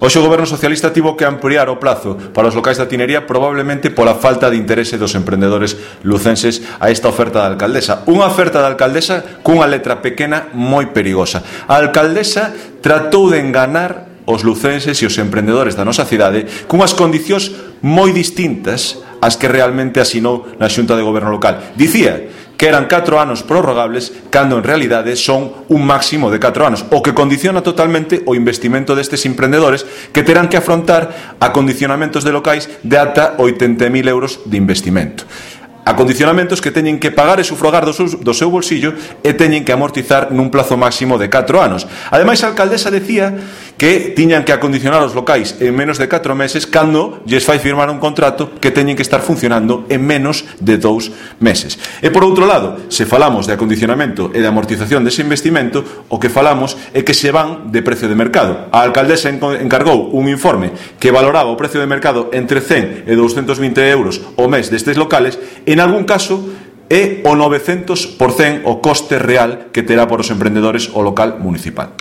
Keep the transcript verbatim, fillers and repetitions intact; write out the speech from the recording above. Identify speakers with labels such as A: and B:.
A: Hoxe o Goberno Socialista tivo que ampliar o plazo para os locais da tinería probablemente pola falta de interese dos emprendedores lucenses a esta oferta da alcaldesa. Unha oferta da alcaldesa cunha letra pequena moi perigosa. A alcaldesa tratou de enganar os lucenses e os emprendedores da nosa cidade cunhas condicións moi distintas ás que realmente asinou na Xunta de Goberno local. Dicía que eran catro anos prorrogables, cando en realidade son un máximo de catro anos, o que condiciona totalmente o investimento destes emprendedores que terán que afrontar acondicionamentos de locais de ata oitenta mil euros de investimento. Acondicionamentos que teñen que pagar e sufragar do seu, do seu bolsillo e teñen que amortizar nun plazo máximo de catro anos. Ademais, a alcaldesa decía que tiñan que acondicionar os locais en menos de catro meses cando lles fai firmar un contrato que teñen que estar funcionando en menos de dous meses. E por outro lado, se falamos de acondicionamento e de amortización dese investimento, o que falamos é que se van de precio de mercado. A alcaldesa encargou un informe que valoraba o precio de mercado entre cen e douscentos vinte euros o mes destes locales. En algún caso é o novecentos por cento o coste real que terá por os emprendedores o local municipal.